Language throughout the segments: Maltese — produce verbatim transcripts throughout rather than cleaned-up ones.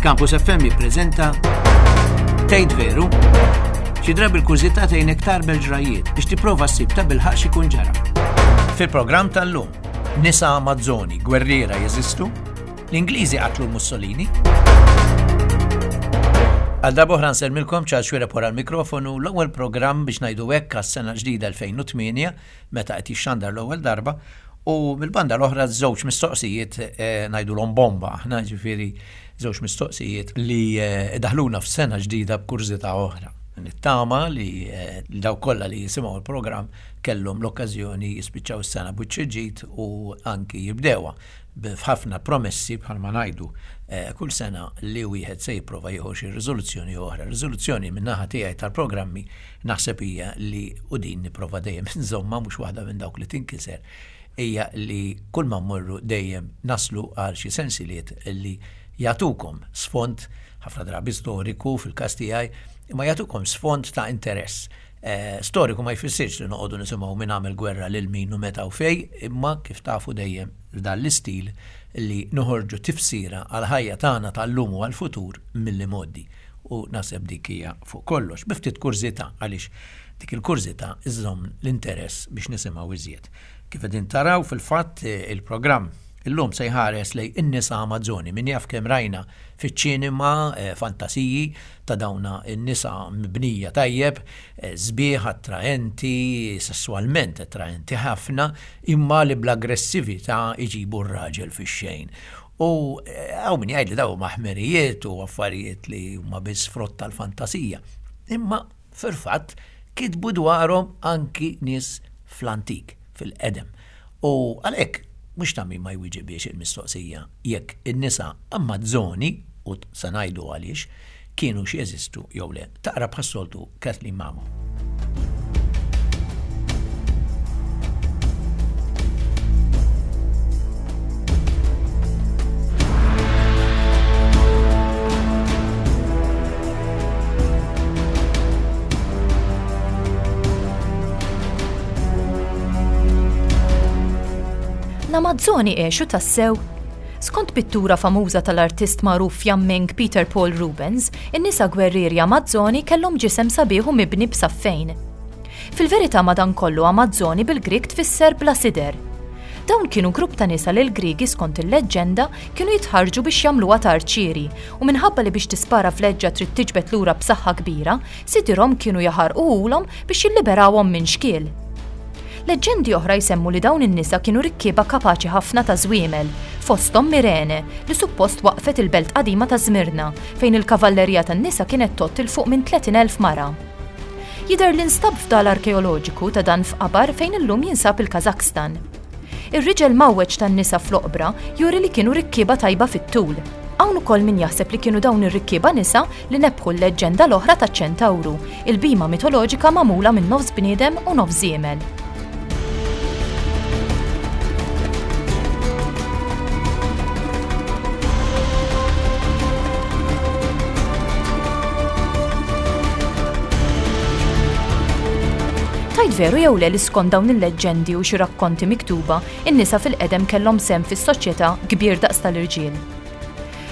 Campus F M jippreżenta Tgħid Veru? Xi drabi l-kurżità tgħinek tarbel ġrajiet biex tipprova ssib ta' bilħaq x'ikun ġara. Fil-programm tal-lum, nisa Amazzoni gwerriera jeżistu? L-Ingliżi qatlu Mussolini? Għal darb'oħra nsellmilkom, Charles Xuereb wara l-mikrofonu, l-ewwel programm biex ngħidu hekk għas-sena ġdida elfejn u tmienja meta qed jixxandar l-ewwel darba, u mill-banda l-oħra żewġ mistoqsijiet eh, ngħidulhom bomba, aħna, ġifieri żewġ mistoqsijiet li eh, daħluna f'sena ġdida b'kurżità oħra. Nittama li eh, dawk kollha li jisimgħu l-programm kellhom l-okkażjoni jispiċċaw is-sena b'wiċċ u anki jibdewha b'ħafna promessi, bħalma ngħidu eh, kull sena, li wieħed se jipprova jieħu xi riżoluzzjoni oħra. Riżoluzzjoni min-naħa tiegħi tal-programmi naħseb hija li, u din nipprova dejjem insomma, mhux waħda minn dawk li tinkiser, hija li kull ma mmorru dejjem naslu għal xi sensiliet li jagħtukom sfond, ħafna drabi storiku fil-każ tiegħi, imma jagħtukom sfond ta' interess. Eh, storiku ma jfissirx li noqogħdu nisimgħu min għamel gwerra lil min u meta u fej, imma kif tafu dejjem dan l-istil li noħorġu tifsira għal ħajja tagħna tal-lum u għal-futur mill-modi. U naħseb dik hija fuq kollox, bi ftit kurżità, għaliex dik il-kurżità iżżomm l-interess biex nisimgħu iżjed. Kif qegħdin taraw fil-fatt, eh, il-programm illum se jħares lejn in-nisa Amazzoni. Min jaf kemm rajna fiċ-ċinema eh, fantasiji ta' dawna in-nisa mibnija tajjeb, eh, sbieħ, attraenti, sessualment attraenti ħafna, imma li bl-aggressività iġibu r-raġel fix-xejn. U hawn min jgħid li daw maħmerijiet u affarijiet li huma biss frott tal-fantasija. Imma fil-fatt kitbu dwarhom anki nies fl-antik, fil-qedem. U għalhekk mhux ta' min ma jwiġibiex il-mistoqsija jekk in-nisa Amazzoni, u sa ngħidu għaliex, kienu xi jeżistu jew le. Taqra bħas-soltu Kathleen Mamo. L-Amazzoni għexu tassew? Skont pittura famuża tal-artist magħruf Fjamming Peter Paul Rubens, in-nisa gwerrieri Amazzoni kellhom ġisem sabiħ u mibni b'saffejn. Fil-verità, madankollu, Amazzoni bil-Grik tfisser bla sider. Dawn kienu grupp ta' nisa li l-Grigi, skont il-leġġenda, kienu jitħarġu biex jagħmluha ta' arċieri, u minħabba li biex tispara fleġġa trid tiġbed lura b'saħħa kbira, sidirhom kienu jaħarquhulhom biex jilliberawhom minn xkiel. Leġġendi oħra jsemmu li dawn in-nisa kienu rikkieba kapaċi ħafna ta' żwiemel, fosthom Mirene, li suppost waqfet il-belt qadima ta' Zmirna, fejn il-kavallerija tan-nisa kienet tgħodd 'il fuq minn tletin elf mara. Jidher li nstab fdal arkeoloġiku ta' dan f'qabar fejn illum jinsab il-Kazakstan. Ir-riġel mawweġ tan-nisa fl-oqbra juri li kienu rikkieba tajba fit-tul. Hawn ukoll min jaħseb li kienu dawn ir-rikkieba nisa li nebħu l-leġġenda l-oħra taċ-ċentawru, il-bhima mitoloġika magħmula minn nofs bniedem u nofs żiemel. Tgħid veru jew le li skont dawn il-leġġendi u xi rakkonti miktuba, in-nisa fil-qedem kellhom sehem fis-soċjetà kbir daqs tal-irġiel?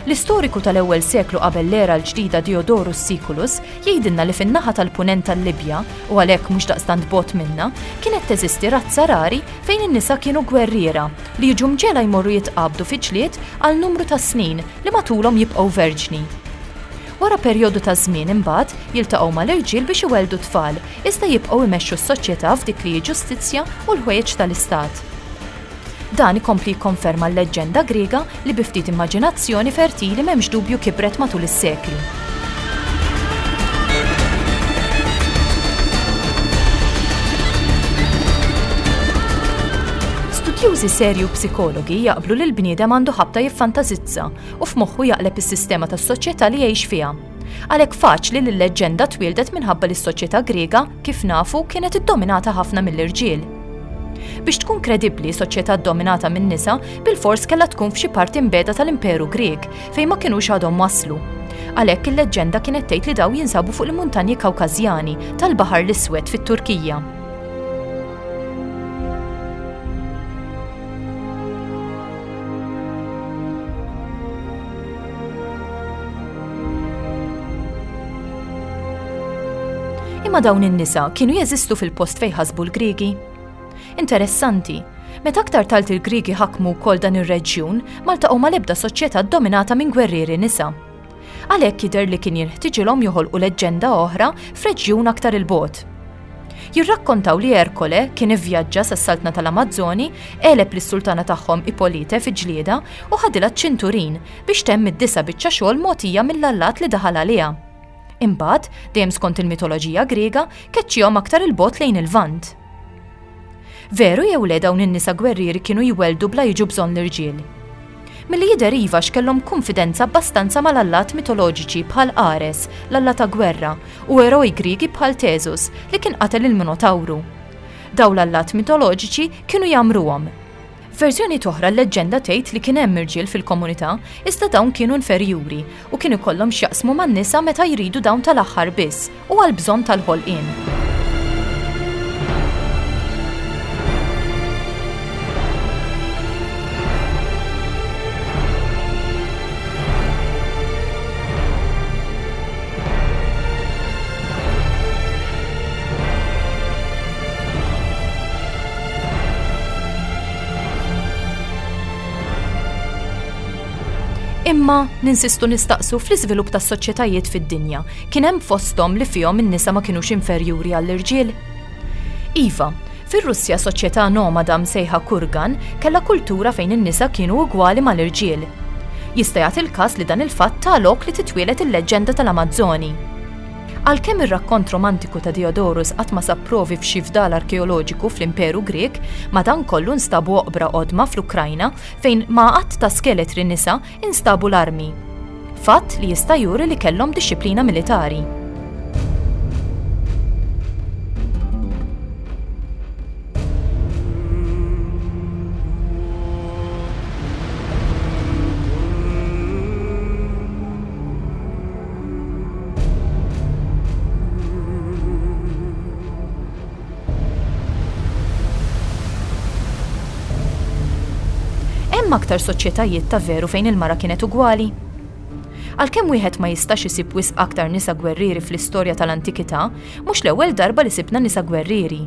L-istoriku tal-ewwel seklu qabel l-era l-ġdida Diodorus Siculus jgħidilna li fin-naħa tal-punent tal-Libja, u għalhekk mhux daqstant bogħod minna, kienet teżisti razza rari fejn in-nisa kienu gwerriera li jiġu mġegħla jmorru jitqabdu fi ġlied għal numru ta' snin li matulhom jibqgħu verġni. Wara perjodu ta' żmien, imbagħad jiltaqgħu mal-irġiel biex iweldu tfal, iżda jibqgħu imexxu s-soċjetà f'dik li hi ġustizzja u l-ħwejjeġ tal-istat. Dan ikompli jikkonferma l-leġġenda Griega li bi ftit immaġinazzjoni fertili m'hemmx dubju kibret matul is-sekli. Studjużi serju, psikologi, jaqblu li l-bniedem għandu ħabta jiffantazizza u f'moħħu jaqleb is-sistema tas-soċjetà li jgħix fiha. Għalhekk faċli li l-leġġenda twildet minħabba li s-soċjetà Griega, kif nafu, kienet iddominata ħafna mill-irġiel. Biex tkun kredibbli, soċjetà dominata minn nisa bil-fors kellha tkun f'xi parti mbiegħda tal-Imperu Grieg fejn ma kinux għadhom waslu. Għalhekk il-leġġenda kienet tgħid li daw jinsabu fuq il-muntanji Kawkażjani tal-Baħar l-Iswed fit-Turkija. Imma dawn in-nisa kienu jeżistu fil-post fejn ħasbu l-Griegi? Interessanti, meta aktar tard il-Griegi ħakmu wkoll dan ir-reġjun, ma ltaqgħu mal-ebda soċjetà ddominata minn gwerrieri nisa. Għalhekk jidher li kien jinħtiġilhom joħolqu leġġenda oħra f'reġjun aktar 'il bogħod. Jirrakkontaw li Erkole kien ivvjaġġa sas-saltna tal-Amazzoni, għeleb lis-sultana tagħhom Ippolite fi ġlieda u ħadilha ċ-ċinturin biex temm id-disa' biċċa xogħol mogħtija mill-allat li daħal għaliha. Imbagħad, dejjem skont il-mitoloġija Griega, keċċihom aktar 'il bogħod lejn il-Lvant. Veru jew le dawn in-nisa gwerrieri kienu jwelldu bla jiġu bżonn l-irġiel? Milli jidher iva x'kellhom kunfidenza abbastanza mal-allat mitoloġiċi bħal Ares, l-alla ta' gwerra, u eroj Griegi bħal Tesus li kien qatel il-Minotawru. Dawn l-allat mitoloġiċi kienu jgħammruhom. F'verżjoni oħra l-leġġenda tgħid li kien hemm irġiel fil-komunità iżda dawn kienu inferjuri u kien ikollhom x'jaqsmu man-nisa meta jridu dawn tal-aħħar biss u għall-bżonn tal-ħolqien. Imma ninsistu nistaqsu fl-iżvilupp tas-soċjetajiet fid-dinja, kien hemm fosthom li fihom in-nisa ma kinux inferjuri għall-irġiel? Iva, fir-Russja soċjetà nomada msejħa Kurgan kellha kultura fejn in-nisa kienu ugwali mal-irġiel. Jista' jagħti l-każ li dan il-fatt ta lok li titwieled il-leġġenda tal-Amazzoni. Għalkemm ir-rakkont romantiku ta' Diodorus qatt ma sab provi f'xi fdal arkeoloġiku fl-Imperu Grieg, madankollu nstabu oqbra qodma fl-Ukrajna fejn ma' għadd ta' skeletri nisa instabu l-armi. Fatt li jista' juri li kellhom dixxiplina militari. Hemm aktar soċjetajiet ta' veru fejn il-mara kienet ugwali? Għalkemm wieħed ma jistax isib wisq aktar nisa gwerrieri fl-istorja tal-antikità, mhux l-ewwel darba li sibna nisa gwerrieri.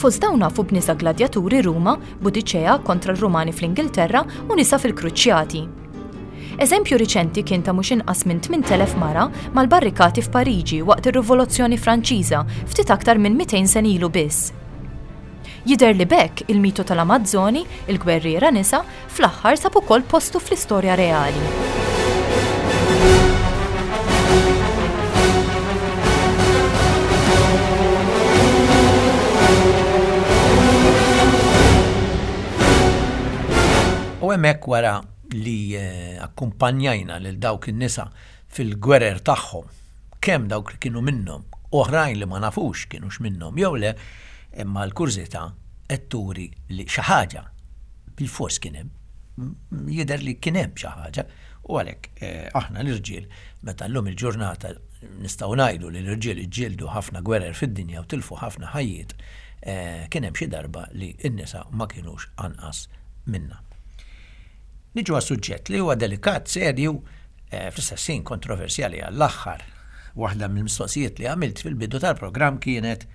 Fost dawn nafu b'nisa gladjaturi Ruma, Budiċea kontra l-Rumani fl-Ingilterra u nisa fil-Kruċjati. Eżempju riċenti kien ta' mhux inqas minn tmint elef mara mal-barrikati f'Pariġi waqt ir-Rivoluzzjoni Franċiża ftit aktar minn mitejn sena ilu biss. Jidher li b'hekk il-mito tal-Amazzoni, il-gwerriera nisa, fl-aħħar sab ukoll postu fl-istorja reali. U hemmhekk wara li, eh, akkumpanjajna lil dawk in-nisa fil-gwerer tagħhom, kemm dawk li kienu minnhom, oħrajn li ma nafux kienux minnhom jew le, imma l-kurżità qed turi li xi ħaġa bil-fors kien hemm, jidher li kien hemm xi ħaġa, u għalhekk, eh, aħna l-irġiel meta llum il-ġurnata nistgħu ngħidu li l-irġiel iġġieldu ħafna gwerer fid-dinja u tilfu ħafna ħajjiet, eh, kien hemm xi darba li n-nisa ma kinux anqas minna. Niġu għas suġġett li huwa delikat, serju, eh, fl-istess ħin kontroversjali għall-aħħar. Waħda mill-mistoqsijiet li għamilt fil-bidu tal-programm kienet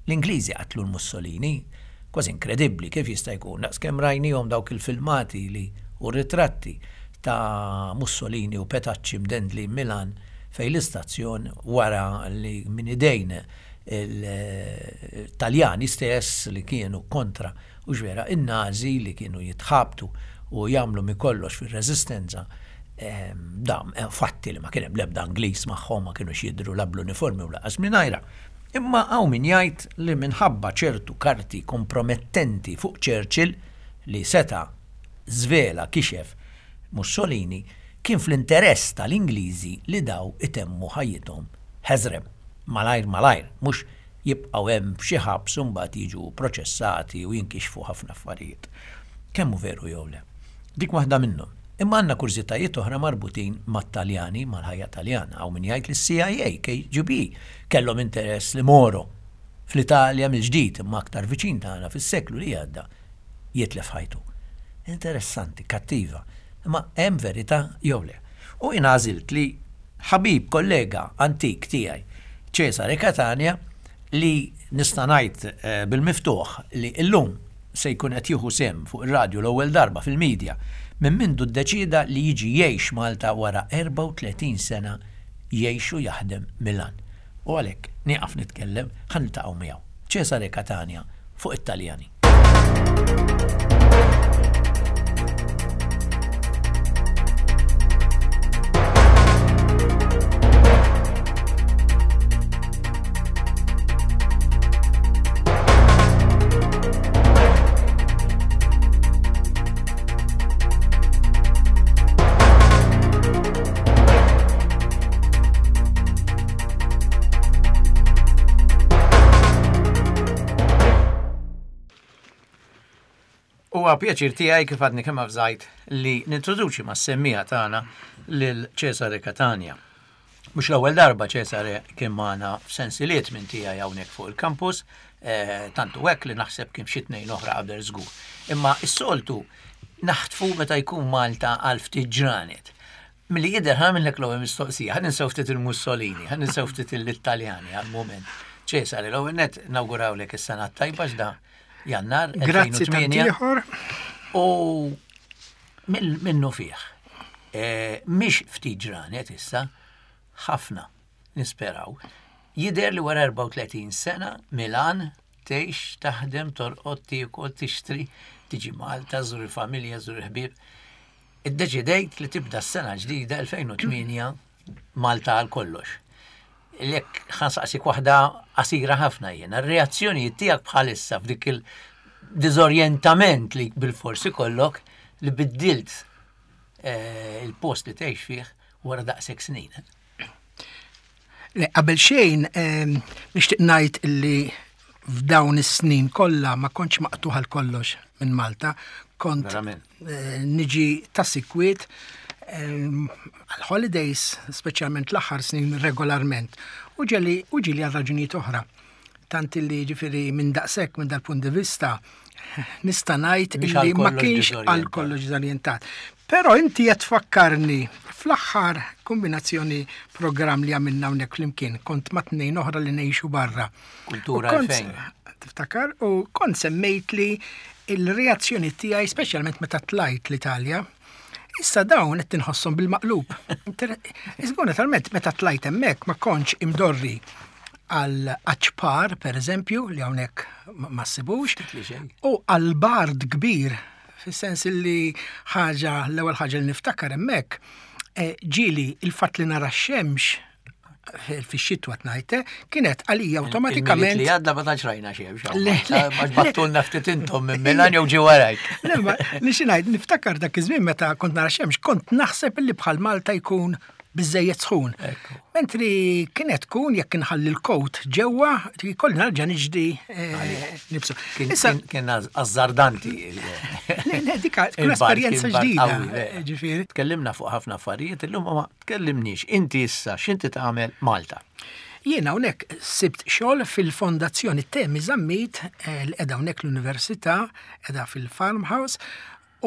l-Ingliżi qatlu l-Mussolini. Kważi inkredibbli kif jista' jkun, daqskemm rajnihom dawk il-filmati li u ritratti ta' Mussolini u Petacci mdendli Milan fej l-istazzjon wara li minn idejn il-Taljani stess li kienu kontra u ġvera in-Nazi li kienu jitħabtu u jagħmlu mi kollox fir-reżistenza, ehm, dam, eh, fatti li ma kien hemm l-ebda Ingliż magħhom, ma kienux jidhru la bl-uniformi u laqas mingħajra. Imma hawn min jgħid li minħabba ċertu karti kompromettenti fuq Churchill li seta' żvela kixef Mussolini, kien fl-interess tal-Ingliżi li daw itemmu ħajjithom ħeżrem, malajr malajr, mhux jibqgħu hemm f'xi ħabs u mbagħad jiġu proċessati u jinkixfu ħafna affarijiet. Kemm hu veru jew le? Dik waħda minnhom. Imma għandna kurżitajiet oħra marbutin mat-Taljani, mal-ħajja Taljana. Hawn min jgħid li s-C I A, K G B, kellhom interess li Moro fl-Italja mill-ġdid imma aktar viċin tagħna fis-seklu li għadda jitlef ħajtu. Interessanti, kattiva, imma hemm verità jew le. U jien għażilt li ħabib kollega antik tiegħi Cesare Catania, li nista' ngħid eh, bil-miftuħ li llum se jkun qed jieħu sehem fuq ir-radju l-ewwel darba fil-medja minn mindu ddeċida li jiġi jgħix Malta wara erbgħa u tletin sena jgħix u jaħdem Milan. U għalhekk nieqaf nitkellem, ħa niltaqgħu miegħu. Cesare Catania fuq it-Taljani. Huwa pjaċir tiegħi, kif għadni kemm avżajt, li nintroduċi mas-semmiegħa tagħna lil Cesare Catania. Mhux l-ewwel darba Cesare kien magħna f'sensiliet minn tiegħi hawnhekk fuq il-campus, eh, tantu hekk li naħseb kien xi tnejn oħra qabel żgur. Imma s-soltu naħtfu meta jkun Malta għal ftit ġranet. Milli jidher ħa nagħmillek l-ewwel mistoqsija, ħa ninsew ftit il-Mussolini, ħa ninsew ftit l-Italjani għal-moment. Cesare, l-ewwel net nawgurawlek is-sena tajba x'da Jannar Grazzi elfejn u tmienja. Tant ieħor. U minnu fih. E, Mhix ftit ġranet issa, ħafna nisperaw. Jidher li wara erbgħa u tletin sena Milan tgħix, taħdem, torqod, tiekol, tixtri, tiġi Malta, żur il-familja, żur il-ħbieb. Iddeċidejt li tibda s-sena ġdida elfejn u tmienja Malta għal kollox. Lek ħa nsaqsik waħda qasira ħafna jiena, r-reazzjoni tiegħek bħalissa f'dik il-diżorjentament li bil-forsi kollok li biddilt eh, il-post li tgħix fih wara daqshekk snin. Le, qabel xejn, ehm, nixtieq ngħid illi f'dawn is-snin kollha ma kontx maqtuħ għal kollox minn Malta. Kont Verament. eh, niġi ta' sikwiet ehm, għal-holidays, speċjalment l-aħħar snin regolarment. U ġeli u ġieli għal raġunijiet oħra. Tant illi ġifieri minn daqshekk minn dal-punt di vista nista' ngħid Mhix illi għal ma kollox kienx għal diżorjentat. kollox diżorjentat. Però inti qed tfakkarni fl-aħħar kombinazzjoni programm li għamilna hawnhekk flimkien, kont ma' tnejn oħra li ngħixu barra. Kultura U kont- elfejn. Tiftakar? U kont semmejt li il-reazzjoni tiegħi speċjalment meta tlajt l-Italja, issa dawn qed tinħosshom bil-maqlub. Inter- Iżgur naturalment meta tlajt hemmhekk ma kontx imdorri għal aċpar, per eżempju, li hawnhekk ma ma ssibux, li xejn. u għal bard kbir, fis-sens li ħaġa, l-ewwel ħaġa li niftakar hemmhekk, eh, ġieli il-fatt li nara x-xemx fix-xitwa tnajte, kienet għalija awtomatikament. Il-Milied li għadda ma tantx rajna xemx. Le, le, Għax bgħattulna ftit intom minn Milan jew ġi warajk. Le, ma li xi ngħid, niftakar dak iż-żmien meta kont nara xemx, kont naħseb li bħal Malta jkun biżejjed sħun. Ekku. Mentri kienet tkun jekk inħalli l-kowt ġewwa, kolli narġa' niġdi eh, nibsu. Kien Issa, kien- kien azzardanti. le, le, dika tkun Il-bard esperjenza kien bard ġdida. qawwi, vera. eh, Ġifieri. Tkellimna fuq ħafna affarijiet, illum ma tkellimniex. Inti issa x'inti tagħmel Malta? Jiena hawnhekk sibt xogħol fil-Fondazzjoni Temi Zammit eh, li qiegħda hawnhekk l-Università, qiegħda fil-Farmhouse,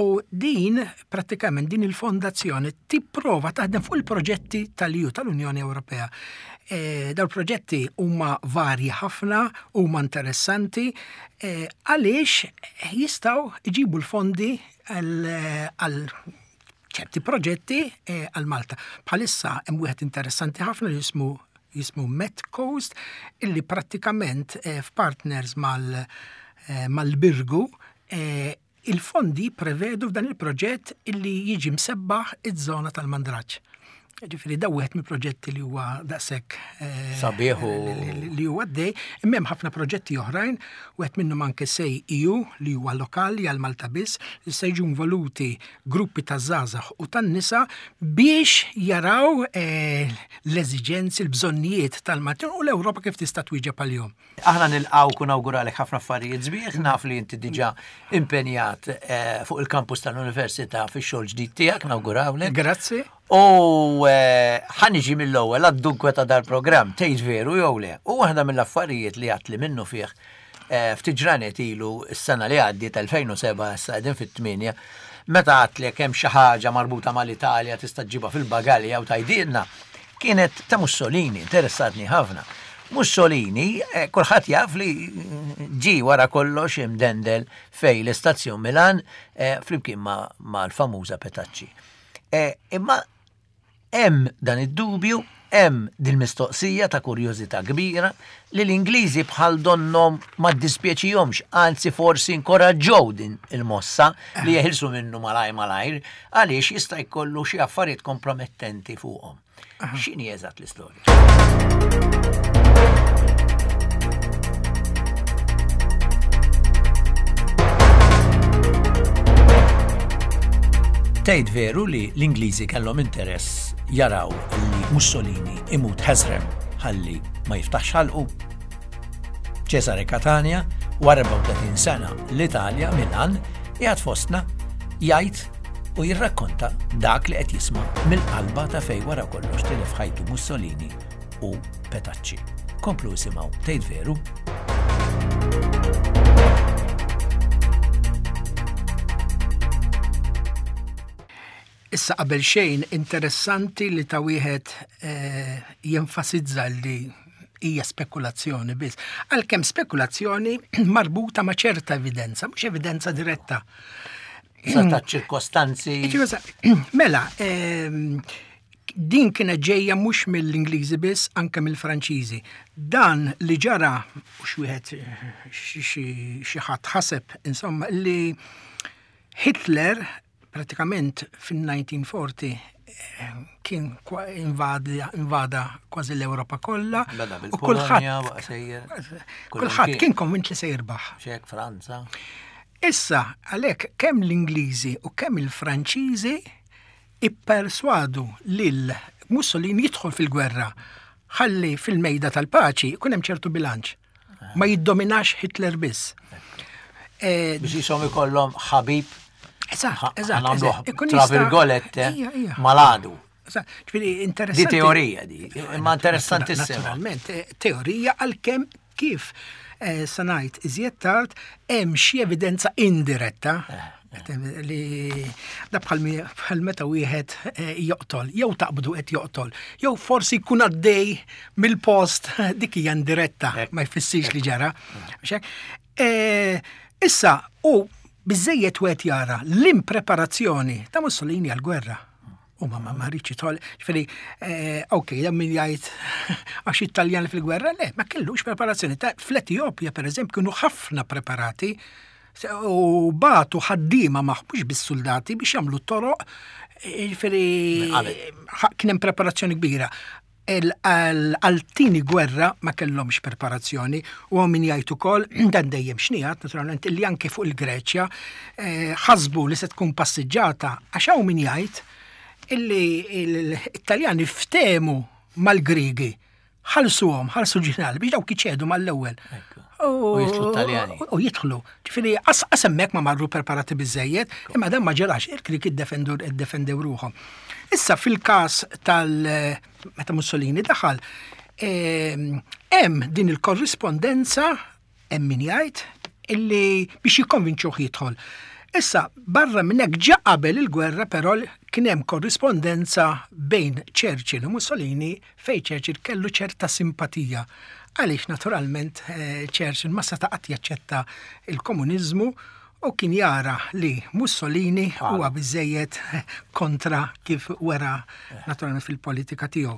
u din prattikament din il-fondazzjoni tipprova taħdem fuq il-proġetti tal-E U, tal-Unjoni Ewropea. E, dawn il-proġetti huma varji ħafna, huma interessanti, e, għaliex jistgħu jġibu l-fondi għal ċerti proġetti eh, għal Malta. Bħalissa hemm wieħed interessanti ħafna li jismu jismu Met Coast, illi prattikament eh, f'partners mal eh, mal-Birgu eh, il-fondi prevedu f'dan il-proġett illi jiġi msebbaħ iż-żona tal-Mandraġġ. Ġifieri da wieħed mill-proġetti li huwa daqshekk eh, Sabiħ u- li- li- li huwa għaddej, imma hemm ħafna proġetti oħrajn, wieħed minnhom anke SEI E U li huwa lokali għal Malta biss, li se jiġu involuti gruppi ta' żgħażagħ u tan-nisa biex jaraw eh, l-eżiġenzi, l-bżonnijiet tal-Maltin u l-Ewropa kif tista' twieġeb għalihom. Aħna nilqgħu u nawguralek ħafna affarijiet sbieħ, naf li inti diġà impenjat eh, fuq il-kampus tal-Università fix-xogħol ġdid tiegħek, nawgurawlek. Grazzi. U eh, ħa niġi mill-ewwel għad-dunkwe ta' dal-programm, tgħid veru jew le. U waħda mill-affarijiet li għedtli minnu fih eh, ftit ġranet ilu s-sena li għaddiet elfejn u sebgħa, issa qegħdin fit-tmienja, meta għedtlek hemm xi ħaġa marbuta mal-Italja tista' ġibha fil-bagalja u tgħidilna, kienet ta' Mussolini, interessatni ħafna. Mussolini, eh, kulħadd jaf li ġi wara kollox imdendel fej l-istazzjon Milan eh, flimkien ma' mal-famuża Petacci. Eh, imma hemm dan id-dubju, hemm dil-mistoqsija ta' kurjożità kbira li l-Ingliżi bħal donnom ma ddispjaċihomx, anzi forsi inkoraġġew din il-mossa li jeħilsu minnu malaj malajr, għaliex jista' jkollu xi affarijiet kompromettenti fuqhom. X'inhi eżatt l-istorja? Tgħid veru li l-Ingliżi kellhom interess jaraw li Mussolini imut ħesrem ħalli ma jiftaħx ħalqu? Cesare Catania, wara erbgħa u tletin sena l-Italja, Milan, qiegħed fostna jgħid u jirrakkonta dak li qed jisma' mill-qalba ta' fej wara kollox tilef ħajtu Mussolini u Petacci. Komplu isimgħu Tgħid Veru. Issa qabel xejn interessanti li ta' wieħed eh, jenfasizza li hija spekulazzjoni biss. Għalkemm spekulazzjoni marbuta ma' ċerta evidenza, mhux evidenza diretta. Sa ta' ċirkostanzi. Mela, eh, din kienet ġejja mhux mill-Ingliżi biss, anke mill-Franċiżi. Dan li ġara, u xi wieħed xi ħadd ħaseb, insomma, li Hitler pratikament fin-nineteen forty kien invada kważi l-Ewropa kollha. Beda U kulħadd bil-Polonja, baqa' sejjer. Kulħadd kien konvint li se jirbaħ. Ċek, Franza. Issa, għalhekk kemm l-Ingliżi u kemm il-Franċiżi ipperswadu lil Mussolini jidħol fil-gwerra ħalli fil-mejda tal-paċi jkun hemm ċertu bilanċ. Ma jiddominax Hitler biss. Eh, Biex jisom ikollhom ħabib. Eżatt, eżatt, Għamlu eżatt. Ikun tra jista' virgolette, Ija, ija. maladu. Eżatt, ġifieri interessanti. Di teorija di, imma interessantissima. Naturalment, eh, teorija għalkemm kif, eh, sa ngħid iżjed tard hemm xi evidenza indiretta Eh, eh. li da bħal mi-, bħal meta wieħed, eh, joqtol, jew taqbdu qed joqtol, jew forsi jkun għaddej mill-post, dik hija indiretta, Ek. ma jfissirx li ġara. Mhux hekk? Eh, issa, u biżejjed wieħed jara l-impreparazzjoni ta' Mussolini għall-gwerra. U ma, ma, ma rridx jidħol, ġifieri, eh, ok, dan min jgħid għax Italjan fil-gwerra, le, ma kellux preparazzjoni. Ta' fl-Etjopja, per eżempju, kienu ħafna preparati u batu ħaddiema magħhom, mhux bis-soldati biex jagħmlu toroq, ġifieri, Minn qabel. ħa-, kien hemm preparazzjoni kbira. Għal-tini gwerra ma kellhomx preparazzjoni u hawn min jgħid ukoll, dan dejjem xnijat, naturalment, li anke fuq il-Greċja, eh, ħasbu li se tkun passiġġata, għax hawn min jgħid illi l-Italjani ftehmu mal-Grigi, ħalsuhom, ħalsu ġenerali biex dawk iċedu mal-ewwel. Ekku. U jidħlu t-Taljani. U jidħlu. Ġifieri, as-, as hemmhekk ma marru preparati biżejjed, imma dan ma ġerax, il-Grigi iddefendu, iddefendew ruħhom. Issa fil-każ tal-, meta Mussolini daħal, ehm, hemm din il-korrispondenza, hemm min jgħid, illi biex jikkonvinċuh jidħol. Issa, barra minn hekk ġa qabel il-gwerra, però kien hemm korrispondenza bejn Churchill u Mussolini fejn Churchill kellu ċerta simpatija. Għaliex naturalment, eh, Churchill ma seta' qatt jaċċetta il-komuniżmu u kien jara li Mussolini Għala. huwa biżejjed kontra kif wera naturalment fil-politika tiegħu.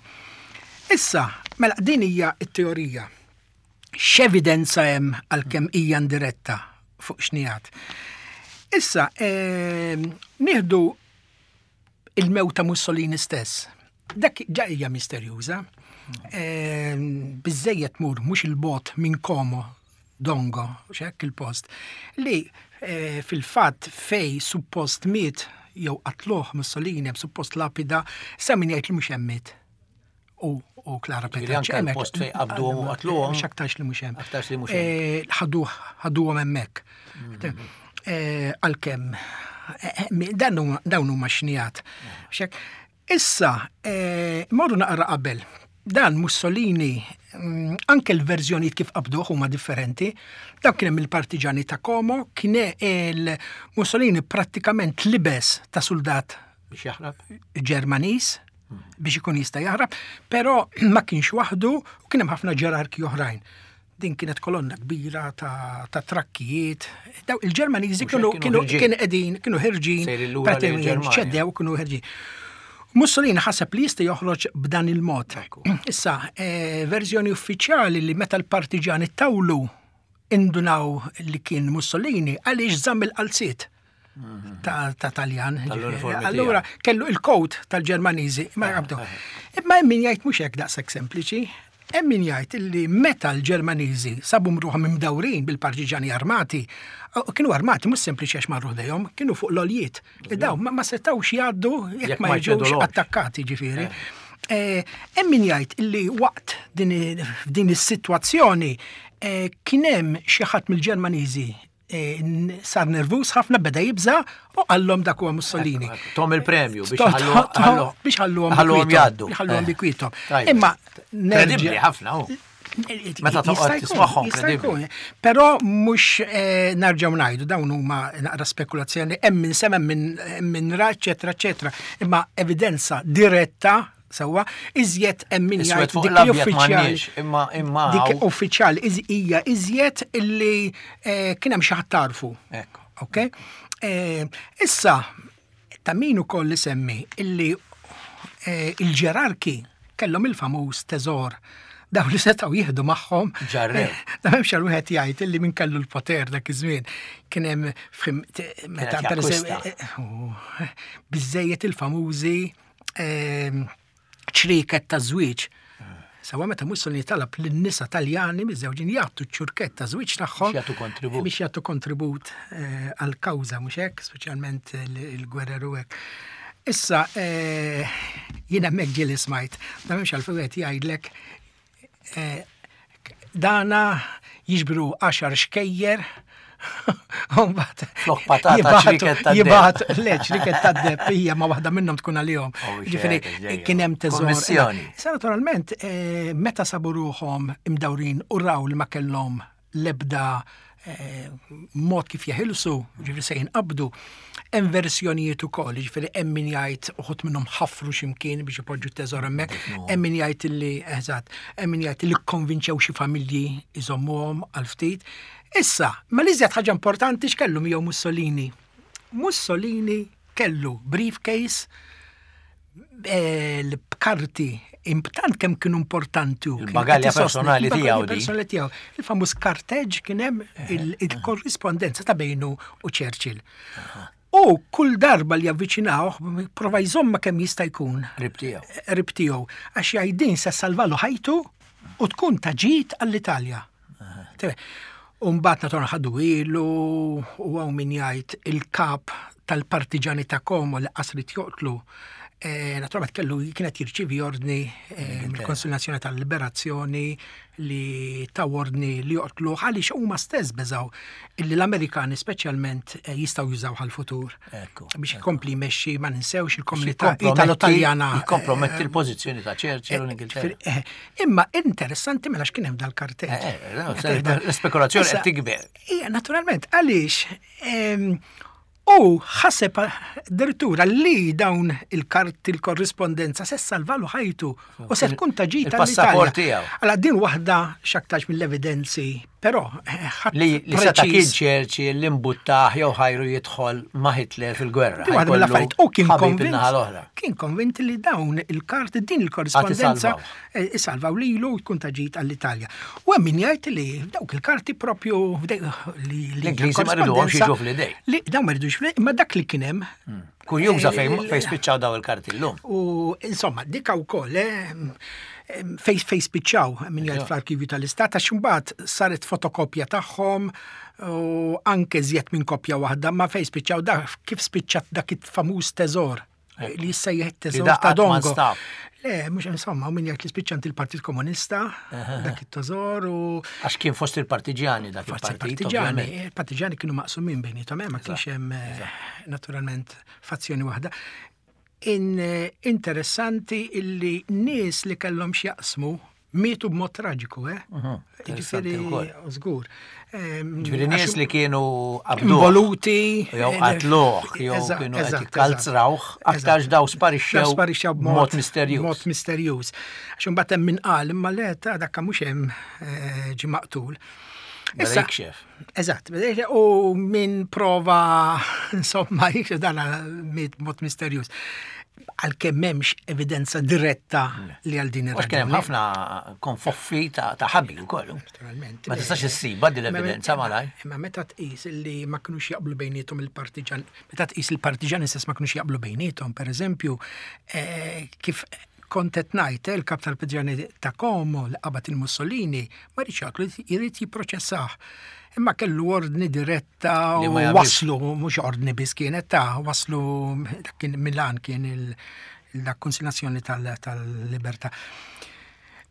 Issa, mela din hija t-teorija. X'evidenza hemm għalkemm hija indiretta fuq xnijat? Issa, ehm, nieħdu il-mewt ta' Mussolini stess. Dak ġa hija misterjuża. Ehm, biżejjed mur mhux il-bot minn Como, Dongo, x'hekk il-post, li, eh, fil-fatt fej suppost miet jew qatluh Mussolini hemm suppost lapida, sa min jgħid li mhux hemm miet. U, u Clara Ġifieri Petacci anke hemmhekk. l-post fejn qabduhom u qatluhom. Mhux aktarx li mhux hemm. Aktarx li mhux hemm. Eh, ħaduh, ħaduhom hemmhekk. Mm. Eh, għalkemm, eh, eh, mi-, dan huma, dawn huma xnijat. Xek, issa, eh, morru naqra qabel. Dan Mussolini, mm, anke l-verżjonijiet kif qabduh huma differenti. Dak kien hemm il-partiġani ta' Como, kien il Mussolini prattikament libes ta' soldat biex jaħrab Ġermaniż biex ikun jista' jaħrab, però ma kienx waħdu u kien hemm ħafna ġerarki oħrajn. Din kienet kolonna kbira ta', ta trakkijiet. Daw il-Ġermaniżi Mhux kienu hekk kienu kienu ħirġin. kienu qegħdin kienu ħirġin, Sejrin lura lejn pratikament il-Ġermanja. ċedew kienu ħirġin. Mussolini ħaseb li jista' joħroġ b'dan il-mod. Issa, eh, verżjoni uffiċjali li meta l-partiġani tawlu indunaw li kien Mussolini għaliex żamm il-qalziet ta' ta' Taljan. Tal-uniformi Allura kellu il-coat tal-Ġermaniżi, ma qabdu. Imma hemm min jgħid mhux hekk daqshekk sempliċi. Hemm min jgħid illi meta l-Ġermaniżi sabu ruħhom imdawrin bil-partiġani armati, u kienu armati mhux sempliċi għax marru ħdejhom, kienu fuq l-għoljiet. Li daw ma ma setgħux jgħaddu jekk Jekk ma ma jiġux jċedulhomx. attakkati ġifieri. Eh, Hemm min jgħid illi waqt din i- f'din is-sitwazzjoni eh, kien hemm xi ħadd mill-Ġermaniżi eh, n- sar nervuż ħafna beda jibża u qallhom dak huwa Mussolini. Tahom il-premju biex To- ħallu- to- to- ħallu- biex ħalluhom ħalluhom bi kwiethom, jgħaddu. biex ħalluhom Eh. bi kwiethom. Tajjeb. Imma Kredibbli nerġa' ħafna hu. Meta Jista' toqgħod jkun, tismagħhom jista' kredibbli. jkun. Però mhux eh, nerġgħu ngħidu dawn huma naqra spekulazzjoni hemm min sema hemm min min ra eċetera eċetera. Imma evidenza diretta sewwa iżjed hemm min Iswed jgħid fuq dik li l-abjad uffiċjali m'għandniex, imma imma dik hawn- uffiċjali iż- hija iżjed illi eh, kien hemm xi ħadd tarfu. Ekku. Ok? Eh, Issa, ta' min ukoll li semmi illi eh, il-ġerarki kellhom il-famuż teżor daw li setgħu jieħdu magħhom. Ġarrew. Eh, Da m'hemmx għal wieħed jgħid illi min kellu l-poter dak iż-żmien kien hemm fim- t- meta Kienet per eżempju, jakkwista. eh, oh, biżejjed il-famużi ehm, ċriket ta' żwieġ. Sawa meta Mussolini talab lin-nisa Taljani miżżewġin jagħtu ċ-ċurkett ta' żwieġ tagħhom Biex jagħtu kontribut. biex jagħtu kontribut eh, għal-kawża mhux hekk, speċjalment il- il-gwerer u hekk. Issa eh, jiena hemmhekk ġieli smajt, da m'hemmx għalfejn wieħed jgħidlek eh, dana jiġbru għaxar xkejjer u mbagħad Flok patata, jibagħtu- ċriket tad-deb. jibagħtu- Le, ċriket tad-deb hija ma waħda minnhom tkun għalihom. Oh, Ġifieri ġejja, ġejja. kien hemm teżor. Kommissjoni. Issa naturalment, eh, meta sabu ruħhom imdawrin u raw li ma kellhom lebda eh, mod kif jeħilsu, ġifieri se jinqabdu, hemm versjonijiet ukoll, ġifieri hemm min jgħid uħud minnhom ħafru x'imkien biex ipoġġu t-teżor hemmhekk, hemm min jgħid illi eżatt, hemm min jgħid illi kkonvinċew xi familji iżommuhom għal ftit. Issa, ma li iżjed ħaġa importanti x'kellu miegħu Mussolini. Mussolini kellu briefcase eh, l-karti tant kemm kienu importanti. u kien Il-bagalja qed isostni- personali il-bagalja tiegħu di. personali tiegħu. Il-famuż karteġ kien hemm il- il-korrispondenza ta' bejnu u Churchill. U kull darba li avviċinawh, prova jżomma kemm jista' jkun. Qrib tiegħu. Qrib tiegħu. Għax jgħid din se salvalu ħajtu u tkun ta' ġid għall-Italja. Tebe, U mbagħad naturalment ħadu ilu u hawn min jgħid il-kap tal-partiġani ta' Como li qasrit joqtlu. Eh, naturalment kellu kienet jirċivi ordni eh, mill-Konsil Nazzjonali tal-Liberazzjoni li ta' ordni li joqtlu għaliex huma stess beżaw illi l-Amerikani speċjalment eh, jistgħu jużaw għal-futur. Ekku, Biex ikompli jmexxi ma ninsewx il-komunità Jikkomprometti- Italo-Taljana. Jikkomprometti l-pożizzjoni ta' Churchill u l-Ingilterra. Eh, Imma interessanti mela x'kien hemm dal-kartell. Eh, eh, no, se- l-spekulazzjoni qed tikber. Ija, naturalment, għaliex em, u ħaseb addirittura li dawn il-karti il-korrispondenza se salvalu ħajtu u se tkun ta' ġid Il-passaport għall-Italja. tiegħu. Allora din waħda x'aktarx mill-evidenzi, però eh, ħadd Li, li seta' kien preċiż. Churchill li mbuttaħ jew ħajru jidħol ma' Hitler fil-gwerra. Di waħda Ħajkollu mill-affarijiet. U kien ħabib konvint, in-naħa l-oħra. kien konvint li dawn il-karti din il-korrispondenza isalvaw. eh, isalvaw lilu u tkun ta' ġid għall-Italja. U hemm min jgħid li dawk il-karti propju f'dej- li li L-Ingliżi ma riduhomx korrispondenza- jiġu fl-idej. Li dawn ma ridux fl imma dak li kien hemm Kurjuża eh, fejn il- fejn spiċċaw daw il-karti llum. U insomma, dika wkoll, eh, fej fej spiċċaw min jgħid fl-arkivju tal-Istat, għax imbagħad saret fotokopja tagħhom u anke żjed minn kopja waħda, ma fej spiċċaw da kif spiċċat dak il-famuż teżor li jissejjaħ teżor da ta' qatt ma Dongo. nstab. Le, mhux insomma, u min jgħid li spiċċant il-Partit Komunista, dak it-teżor u Għax kien fost il-partiġjani dak Forza il-partit. partiġani, ovvjament. il-partiġani kienu maqsumin bejnietom, eh, ma kienx hemm eh, naturalment fazzjoni waħda. In, eh, interessanti illi nies li kellhom x'jaqsmu Mietu b'mod traġiku, eh? Mhm, Ġifieri, żgur. Ġifieri nies li kienu qabduh. Involuti. Jew qatluh, jew kienu qed jikkalzrawh, aktarx daw sparixxew sparixxew b'mod misterjuż. B'mod misterjuż. Għax imbagħad hemm min qal imma le ta' dakka mhux hemm eh, ġie maqtul. Issa, jikxef. Eżatt, u min prova, insomma, jikxef dan miet b'mod misterjuż. Għalkemm m'hemmx evidenza diretta li għal din ir-raġuni. Kien hemm ħafna konfoffi ta' ħabi wkoll. Naturalment. Ma tistax issiba din l-evidenza malaj. Imma meta tqis li ma kinux jaqblu bejniethom il-partiġan, meta tqis il-partiġani stess ma kinux jaqblu bejniethom, pereżempju, eh, kif kont qed ngħid eh, il-kap tal-partiġani ta' Como li qabad il-Mussolini ma rridx jaqtlu jrid jipproċessah. Imma kellu ordni diretta Li u ma jagħmilx. waslu, mhux ordni biss kienet ta' waslu dak kien Milan kien il- la konsiljazzjoni tal-libertà.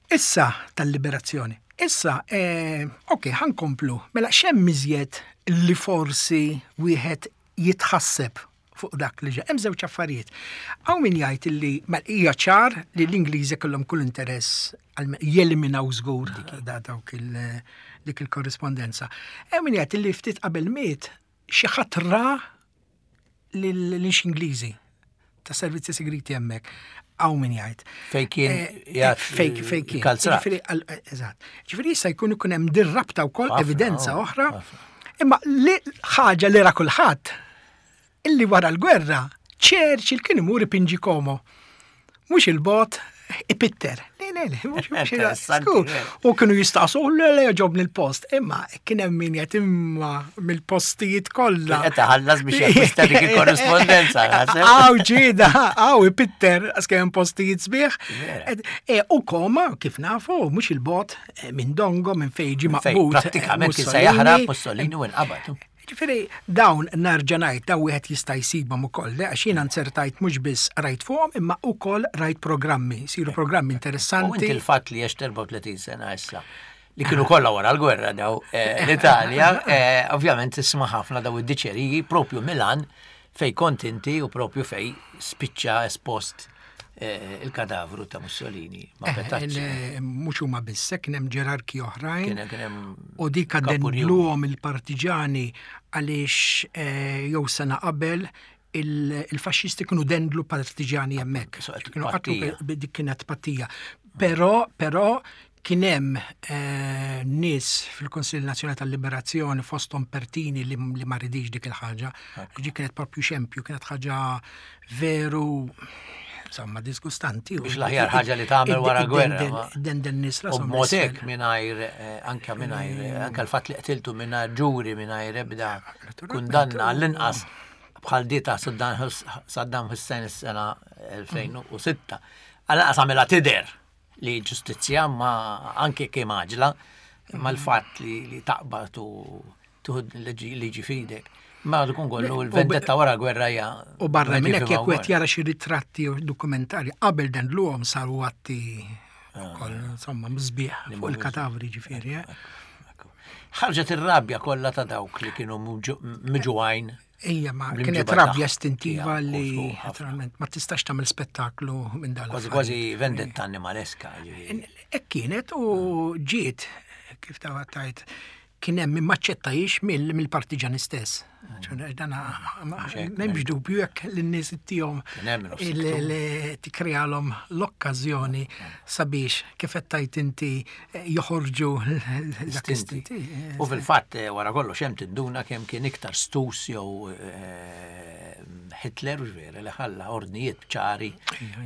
Issa tal-liberazzjoni. Issa, eh, ok, ħankomplu. Mela x'hemm iżjed li forsi wieħed jitħasseb fuq dak li ġa. Hemm żewġ affarijiet. Hawn min jgħid li mela hija ċar li l-Ingliżi kellhom kull interess għal- jeliminaw żgur da dawk il- dik il-korrispondenza. Hemm min jgħid li ftit qabel miet xi ħadd ra lil lil xi Ingliżi ta' servizzi segreti hemmhekk. Hawn min jgħid. Fej kien Eh, jgħat Fej fej kien. kalzrat. Ġifieri, għal- eh, Eżatt. Ġifieri jista' jkun ikun hemm dir-rabta wkoll Ħafna, evidenza oh, oħra. ħafna. Imma li ħaġa li ra kulħadd illi wara l-gwerra Churchill kien imur ipinġi Como. Mhux il-bot ipitter. Le, le, le, mhux mhux il- Interessanti, skur. vera. U kienu jistaqsu, le, le, ġobni l-post. Imma kien hemm min jgħid imma mill-postijiet kollha. Qed iħallas biex jakkwista dik il-korrispondenza, naħseb. Għaw ġida, għaw ipitter, għax kien hemm postijiet sbieħ. Vera. Ed- E, u Koma, kif nafu, mhux il-bot eh, minn Dongo, minn fejn ġie Fej, maqbud. eh, prattikament kien se Mussolini. jaħrab Mussolini u nqabad. Ġifieri, dawn nerġa' ngħid dawn wieħed jista' jsibhom ukoll, le, għax jiena nzertajt mhux biss rajt fuqhom imma ukoll rajt programmi, siru programmi U inti interessanti. il-fatt li għex erbgħa u tletin sena issa li kienu kollha wara l-gwerra daw eh, l-Italja, eh, ovvjament tisma' ħafna daw id-diċeriji propju Milan fej kont inti u propju fej spiċċa espost eh, il-kadavru ta' Mussolini ma' Eh, Petacci. il- Mhux huma biss, kien hemm ġerarki oħrajn. Kien kien hemm U dik kapunjuni. dendluhom il-partiġani għaliex eh, jew sena qabel il- il-faxxisti kienu dendlu partiġani hemmhekk. So, qed Kienu qatlu pattija. pe- dik kienet pattija. Però, però kien hemm eh, nies fil-Konsil Nazzjonali tal-Liberazzjoni fosthom Pertini li, li ma ridix dik il-ħaġa. Ġi kienet propju xempju, kienet ħaġa veru insomma disgustanti. Biex l-aħjar ħaġa li tagħmel wara gwerra, ma- Dendel nies U rashom b'mod l-isfel. hekk mingħajr eh, anke mingħajr eh, anke l-fatt li qtiltu mingħajr ġuri mingħajr ebda Naturalment. kundanna għall-inqas bħal di ta' Saddam Hus- Saddam Hussein is-sena elfejn u sitta. Għall-inqas għamilha tidher li ġustizzja ma anke kemm għaġla ma l-fatt li, li taqbad u tuħud liġi liġi fidek. Ma tkun kollu l-vendetta wara gwerra hija. U barra minn hekk wieħed jekk wieħed jara xi ritratti u dokumentarji qabel dan l-om saru atti ukoll insomma mżbieħ fuq il-katavri ġifieri. eh. Ħarġet ir-rabja kollha ta' dawk li kienu miġugħajn. Ija, ma L-imġiba kienet rabja tagħha. istintiva Ija, li u ħafna. naturalment ma tistax tagħmel spettaklu minn dan. Kważi l-affarijiet. kważi vendetta animaleska. ġifieri. Hekk kienet u ġiet kif ta' tajt kien hemm min maċċettajiex mill-partiġani stess. Mm. Dana m'hemmx dubju jekk lin-nies ittihom Kien hemm min offsiktu. li tikrejalhom l-okkażjoni sabiex kif qed tajt inti eh, joħorġu dak Istinti. l-istinti. U fil-fatt eh, wara kollox hemm tinduna kemm kien iktar stus jew eh, Hitler u vera li ħalla ordnijiet ċari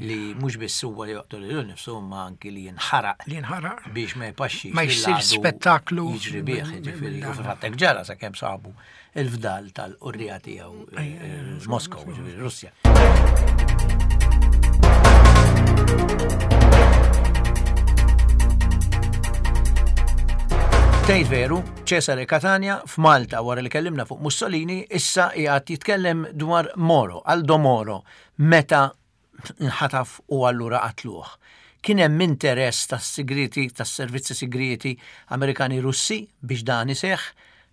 li mhux biss huwa li joqtol lilu nnifsu imma anki li jinħaraq Li jinħaraq. biex ma jpaxxix Ma jsirx lill-għadu spettaklu jiġri bih, mill- ġifieri. mill- U fil-fatt hekk ġara sakemm sabu il-fdal tal-qurrija tiegħu eh, Moskow, ġifieri Russja. Tgħid veru, Cesare Catania f'Malta wara li kellimna fuq Mussolini issa qiegħed jitkellem dwar Moro, Aldo Moro, meta nħataf u allura qatluh. Kien hemm interess tas-sigriti, tas-servizzi sigriti Amerikani Russi biex dan iseħħ,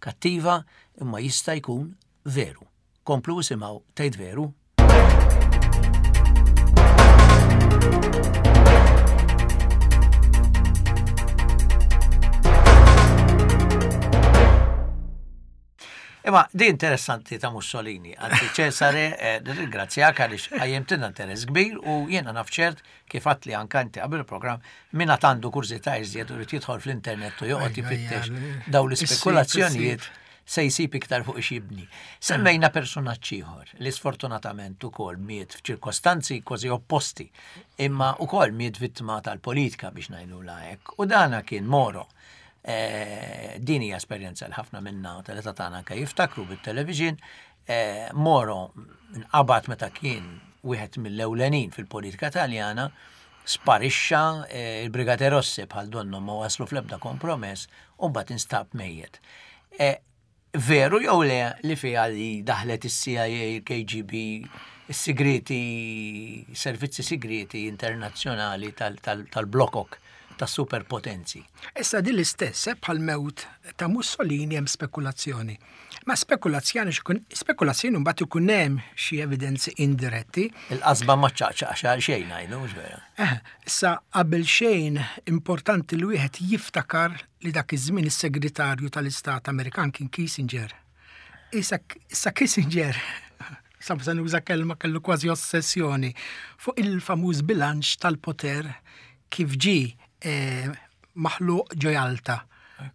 kattiva, imma jista' jkun veru. Komplu isimgħu tgħid veru. Imma di interessanti ta' Mussolini, għanti Cesare, eh, ringrazzjak għaliex qajjimtilna interess kbir u jiena naf ċert kif għedtli anka inti qabel il-programm min għad għandu kurżità iżjed u jrid jidħol fl-internet u joqgħod ifittex daw l-ispekulazzjonijiet se jsib iktar fuq x'jibni. Semmejna personaġġ ieħor li sfortunatament ukoll miet f'ċirkostanzi kważi opposti, imma ukoll miet vittma tal-politika biex ngħidu hekk. U dana kien Moro. Eh, din hija esperjenza li ħafna minna tal-età tagħna anke jiftakru bit-television. Eh, Moro nqabad meta kien wieħed mill-ewlenin fil-politika Taljana, sparixxa, eh, il-Brigate Rosse bħal donnu ma waslu fl-ebda kompromess u mbagħad instab mejjet. Veru jew le li fiha li daħlet is-C I A, il-K G B, is-sigreti, servizzi segreti internazzjonali tal-blokok ta' superpotenzi? Issa din l-istess, eh, bħal mewt ta' Mussolini hemm spekulazzjoni. Ma spekulazzjoni spekulazzjoni mbagħad ikun hemm xi evidenzi indiretti. Il-qasba ma ċaqċaq xejn ngħidu, mhux vera? Eh, issa qabel xejn importanti li wieħed jiftakar li dak iż-żmien is-segretarju tal-Istat Amerikan kien Kissinger. Issa issa Kissinger, sa nuża kelma, kellu kważi ossessjoni fuq il-famuż bilanċ tal-poter kif ġi eh, maħluq ġo Jalta.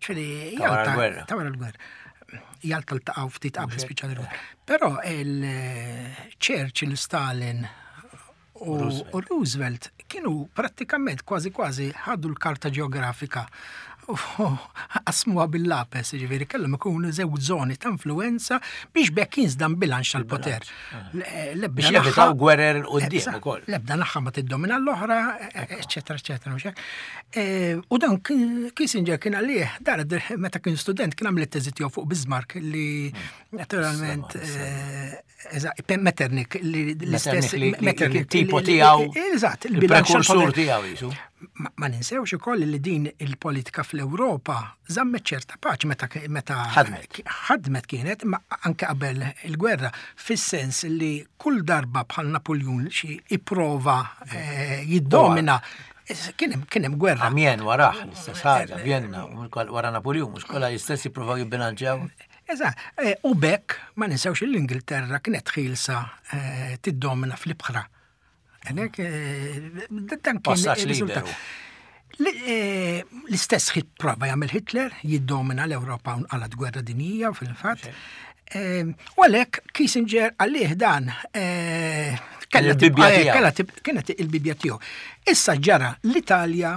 Jalta. Ta' wara l-gwerra. Jalta ltaqgħu ftit qabel spiċċa l-gwerra. Però il-Churchill, Stalin u Roosevelt kienu prattikament kważi kważi ħadu l-karta ġeografika u qasmuha bil-lapes, ġifieri kellhom ikunu żewġ żoni ta' influenza biex bekk jinżamm bilanċ tal-poter. Biex jevitaw gwerer quddiem ukoll. Lebda naħa ma tiddomina l-oħra, eċetera, eċetera. U dan Kissinger kien għalih, dar meta kien student kien għamel it-teżi tiegħu fuq Bismarck li naturalment Metternich li l-istess Metternich tipo tiegħu. Eżatt, il-prekursur tiegħu jisu. Ma ninsewx ukoll li din il-politika fl-Ewropa żammet ċerta paċi meta meta ħadmet. Ħadmet kienet ma anke qabel il-gwerra, fis-sens li kull darba bħal Napoleon xi ipprova eh, jiddomina kien hemm kien hemm gwerra. Amiens warah l-istess ħaġa, Vienna, wara Napoleon, mhux kollha l-istess jippruvaw jibbilanċjaw. Eżatt, eh, u bekk ma ninsewx l-Ingilterra kienet ħielsa eh, tiddomina fl-ibħra. Għalhekk, dan kien liberu. L-istess hit prova jagħmel Hitler, jiddomina l-Ewropa u għalat gwerra dinjija fil-fatt. U għalhekk Kissinger għalih dan kienet il-bibja tiegħu. Issa ġara l-Italja,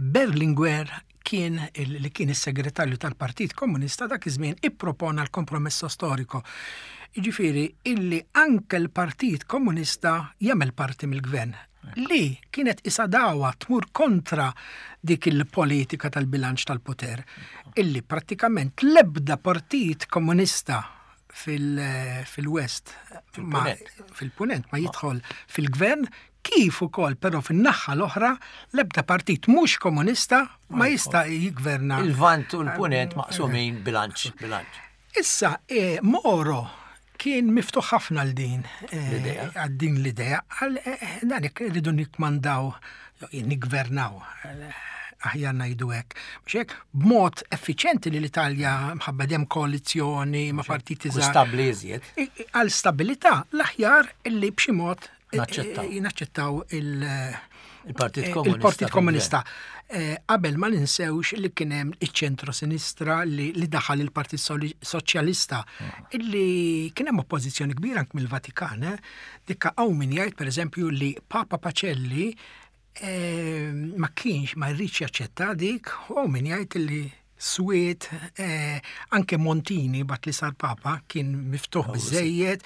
Berlinguer kien li kien is-segretarju tal-Partit Komunista dak iż-żmien ippropona l-kompromesso storico. Jiġifieri illi anke l-Partit Komunista jagħmel parti mill-gvern li kienet isa dawa tmur kontra dik il-politika tal-bilanċ tal-poter, illi prattikament l-ebda partit komunista fil-West, fil-Punent, ma jidħol fil-gvern, kif ukoll però fin-naħa l-oħra l-ebda partit mhux komunista ma jista' jigverna. Il-Lvant u l-Punent maqsumin bilanċ, bilanċ. Issa, eh, Moro kien miftuħ ħafna għal din eh, għal din l-idea, għal eh, dan jekk rridu nikmandaw, nigvernaw, aħjar ngħidu hekk. Biex hekk b'mod effiċjenti li l-Italja mħabba dem koalizzjoni ma' partiti żgħar. Stabbli iżjed. Għal stabilità l-aħjar illi b'xi mod naċċettaw il- Il-Partit Komunista. Il-Partit Komunista. Qabel ma ninsewx li kien hemm iċ-ċentro sinistra li, li daħal il-Partit Soċjalista, illi kien hemm oppożizzjoni kbira anke mill-Vatikan. Eh? Dikka hawn min jgħid, pereżempju, li Papa Pacelli eh, ma kienx ma jridx jaċċetta dik, u min jgħid li swiet eh, anke Montini bat li sar Papa kien miftuħ biżejjed.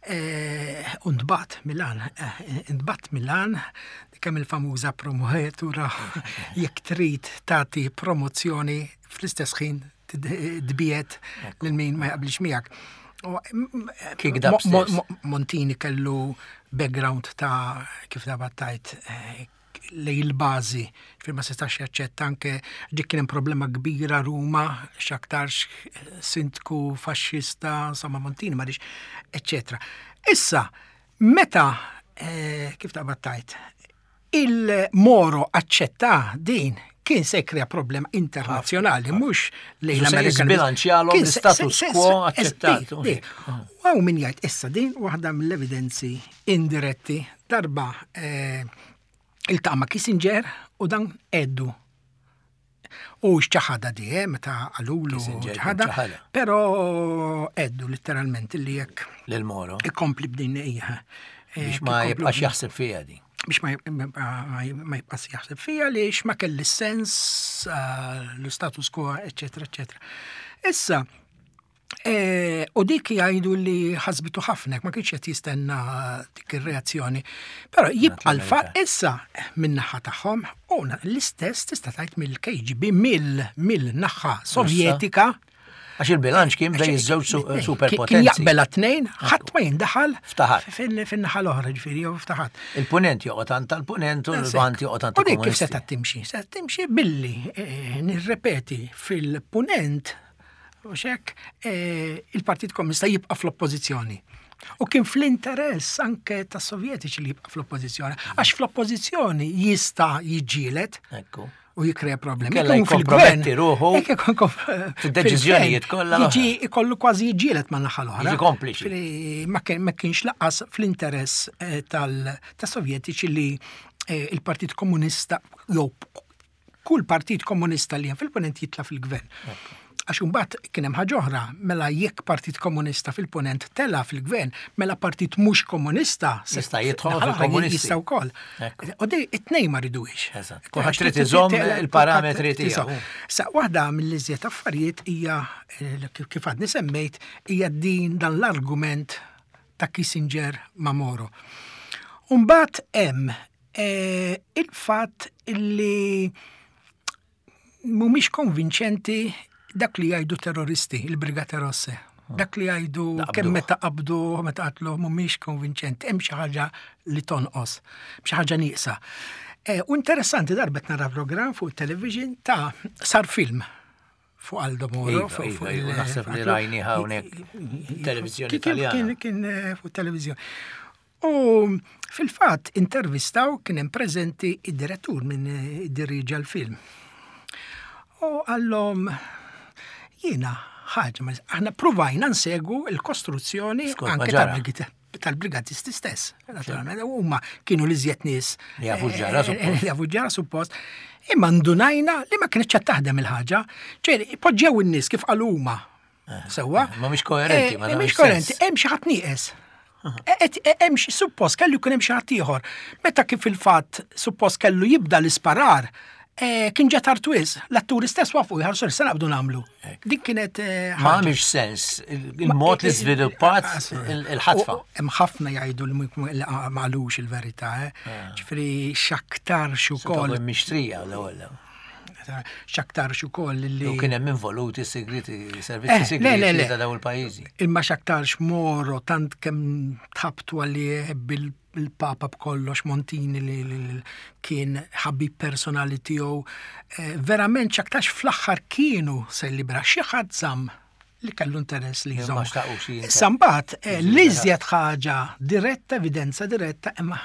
U ntbagħat Milan, ntbagħat Milan, kemm il-famuża promotura, jekk trid tagħti promozzjoni fl-istess ħin tbiegħed lil min ma jaqblix miegħek. Montini kellu background ta' kif ta' battajt lej il-bażi, fil ma setax jaċċetta anke dik kien hemm problema kbira Ruma, x'aktarx sindku faxxista, insomma Montini ma eċċetera. Issa, meta kif ta' battajt, il-Moro aċċetta din, Kien se jkrea problema internazzjonali, mhux lejn Se l-Amerika. jiżbilanċjalhom Kien se- l-status se- se- quo se- aċċettat. di- di. U hawn min jgħid issa din waħda mill-evidenzi indiretti darba eh, iltaqa' ma' Kissinger u dan għeddu. U xċaħada di, eh, meta qalulu Kissinger ċaħada, ċaħada. pero għeddu letteralment li jekk Lil Moro. ikompli b'din ija. Biex ma jibqax jaħseb fija di. Biex ma jib- ma jibqax jaħseb fija li ma kelli sens eh, l-status quo, eccetera, eccetera. Issa, eh, u dik jgħidu li ħasbitu ħafna, ma kienx qed jistenna dik ir-reazzjoni. Però jibqa' l-fatt issa min-naħa tagħhom u na- l-istess tista' tgħid mill-K G B, mill mill-naħa Sovjetika. Għax il-bilanċ kien bejn iż-żewġ su- Kien superpotenzi. jaqbel tnejn, ħadd ma jindaħal Ftaħat. fin- fin-naħa l-oħra, ġifieri, jew ftaħat. Il-punent joqgħod għand tal-punent u l-lvant joqgħod għand U dik kif il-komunisti. seta' timxi? Seta' timxi billi eh, nirrepeti fil-punent u xek eh, il-Partit Komunista jibqa' fl-oppożizzjoni. U kien fl-interess anke tas Sovjetiċi li jibqa' fl-oppożizzjoni, għax fl-oppożizzjoni jista' jiġġieled Ekku. u jikrea problemi. Kella Jekk ikun jikkomprometti fil-gvern- ruħu jekk ikun kom- fid-deċiżjonijiet fil-gvern, kollha l-oħra. Jiġi ikollu kważi jiġġieled ma' naħa l-oħra. Jiġi kompliċi. Ġifieri, Ma kien- ma kienx lanqas fl-interess eh, tal- tas-Sovjetiċi li eh, il-Partit Komunista jew kull partit komunista li hemm fil-punent jitla fil-gvern. Għax imbagħad kien hemm ħaġa oħra, mela jekk Partit Komunista fil-punent tela fil-gvern, mela partit mhux komunista se- Jista' jidħol naħa l-oħra fil-komunisti. Jista' wkoll. Ekku. U di it-tnejn ma riduhiex. Eżatt. Kulħadd trid iżomm il-parametri tiegħu. Sa waħda mill-iżjed affarijiet hija eh, kif kif għadni semmejt hija din dan l-argument ta' Kissinger ma' Moro. Umbagħad hemm eh, il-fatt illi mhumiex konvinċenti dak li jgħidu terroristi, il-Brigate Rosse. Dak li jgħidu Qabduh. kemm meta qabdu, meta qatlu, mhumiex konvinċenti, hemm xi ħaġa li tonqos, xi ħaġa nieqsa. Eh, u interessanti darbet nara program fuq television ta' sar film fuq Aldo Moro. Iva, fuq- iva, fuq iva, il- naħseb li fuq- rajni hawnhekk televizjoni Kien- Italjana. Kien kien eh, fuq televizjoni. U fil-fatt intervistaw kien hemm preżenti id-direttur minn eh, iddiriġa l-film. U għallhom jiena ħaġa, ma- aħna provajna nsegu l-kostruzzjoni Skont ma anke ġara. tal-brigati- tal-brigatisti stess. Naturalment, huma kienu li żjed nies. Li jafu ġara, eh, suppost. Li jafu ġara suppost. Imma ndunajna li ma kienx qed taħdem il-ħaġa. Ċeri, poġġew in-nies kif qalu huma. Sewwa? Ma mhix koerenti, ma Eh, tagħmilx Mhix koerenti, sens. hemm xi ħadd nieqes. E- e- Hemm xi suppost kellu jkun hemm xi ħadd ieħor. Meta kif il-fatt suppost kellu jibda l-isparar, eh, kien ġa tard wisq, l-atturi stess waqfu jħarsu se naqbdu nagħmlu. Dik kienet eh, Ma ħaġa. għamilx sens il-mod li żviluppat il- il-ħatfa. U- Hemm ħafna jgħidu li mhu- li ma qalux il-verità, eh. Ġifieri x'aktarx ukoll, Mixtrija l-ewwel. x'aktarx ukoll li U kien hemm involuti segreti, Eh, servizzi le, le, le. segreti ta' dawn il-pajjiżi. Imma x'aktarx Moro tant kemm tħabtu għalih bil-Papa b'kollox Montini li, li, li kien ħabib personali tiegħu. Eh, verament x'aktarx fl-aħħar kienu se libera xi ħadd żamm li kellu interess li Ma jżomm. xtaqux jinter- Issa mbagħad eh, l-iżjed ħaġa diretta, evidenza diretta, imma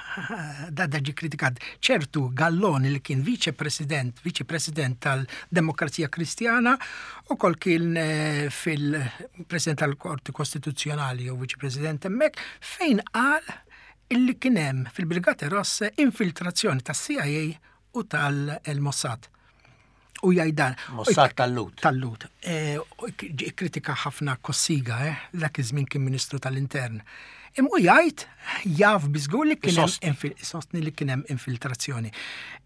da da ġi kritikat ċertu Galloni li kien viċe-president, viċe-president tal-Demokrazija Kristjana u kol kien eh, fil-president tal-Qorti Kostituzzjonali jew viċe-president hemmhekk fejn qal illi kien hemm fil-Brigate Rosse infiltrazzjoni tas-C I A u tal-Mossad. U jgħidan. Mossad tal-Lhud. Tal-Lhud. Eh, u ġi kritika ħafna Cossiga, eh, dak iż-żmien kien Ministru tal-Intern. Imma u jgħid jaf biżgur li kien hemm Isostni. infil- sostni li kien hemm infiltrazzjoni.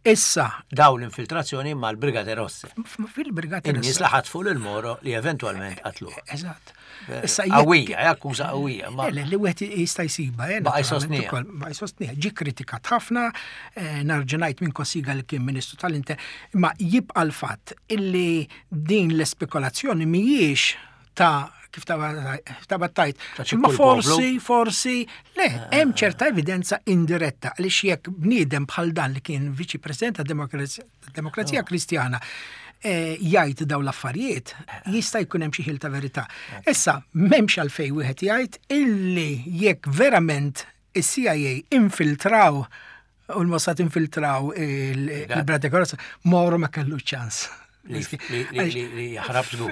Issa, Daw l-infiltrazzjoni mal-Brigate Rosse. f- fil-Brigate In-nies Rosse. li ħatfu lil Moro li eventwalment qatluh. Eżatt. Eh, Issa jekk- Qawwija, eh, akkuża qawwija. Ma Le, le, li wieħed jista' jsibha, eh, Baqa' naturalment jsostniha. ukoll, baqa' jsostniha. Ġi kritikat ħafna, eh, narġa' ngħid minn Cossiga li kien Ministru tal-Intern, imma jibqa' l-fatt illi din l-espekulazzjoni mhijiex ta' kif ta' tajt. Ta' xi Ma kull forsi, forsi, le, hemm ċerta evidenza indiretta għaliex jekk bniedem bħal dan li kien viċi president ta' Demokrazija Demokrazija Kristjana eh, jgħid daw l-affarijiet, jista' jkun hemm xi ħil ta' verità. Issa, m'hemmx għalfejn wieħed jgħid illi jekk verament is-C I A infiltraw U l-Mossad infiltraw il-Brigata Rossa, Moro ma kellu ċans. Li jaħrab żgur.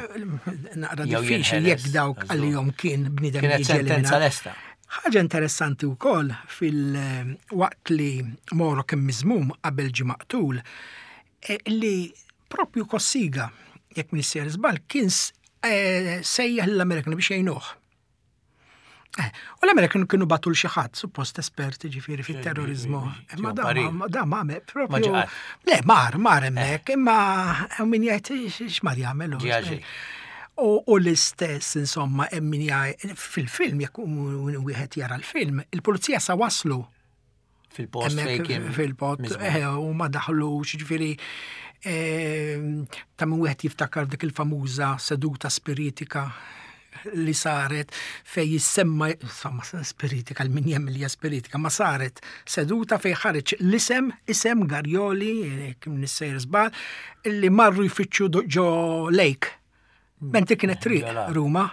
Naqra diffiċli jekk dawk għalihom kien bniedem. Kienet sentenza lesta. Ħaġa interessanti wkoll fil-waqt li Moro kien miżmum qabel ġie maqtul, li propju Cossiga, jekk m'iniex sejjer żball, kien sejjaħ l-Amerikani biex jgħinuh. U l-Amerikan kienu bagħtu 'l xi ħadd, suppost esperti ġifieri fit-terrorizmu. Imma da ma propju. Le, mar, mar hemmhekk, imma min jgħid x'mar jagħmel. U l-istess, insomma, hemm min jgħid fil-film, jekk wieħed jara l-film, il-pulizija sa waslu fil-post fil-post u ma daħlux, ġifieri ta' min wieħed jiftakar dik il-famuża seduta spiritika li saret fej jissemma, insomma, spiritika, l-min jemmen li hija spiritika, ma saret seduta fej ħareġ l-isem, isem Garjoli, kim nissejr żball, li marru jfittxu ġo lake. Mentri kienet triq Ruma.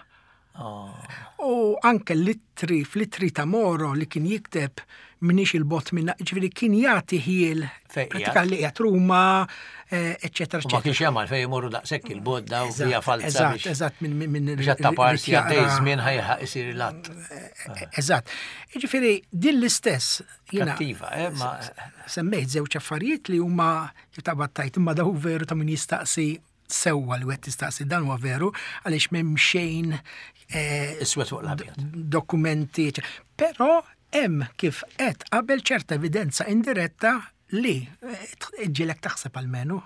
U anke l-ittri, fl-ittri ta' Moro li kien jikteb minix il-bot minna, ġifieri kien jagħti ħiel pratika li qiegħed Ruma, eċċetera. Ma kienx hemm għalfejn imorru daqshekk il-bot daw hija falza. Eżatt, eżatt minn minn biex ta' parti għaddej żmien ħajħaq isir l-att. Eżatt. Ġifieri din l-istess jiena Kattiva, eh, ma semmejt żewġ affarijiet li huma taqbad tajt imma daw veru ta' min jistaqsi sewwa li wieħed tistaqsi dan huwa veru għaliex m'hemm xejn iswed fuq l-abjad. Dokumenti, però hemm kif qed qabel ċerta evidenza indiretta li ġielek taħseb almenu.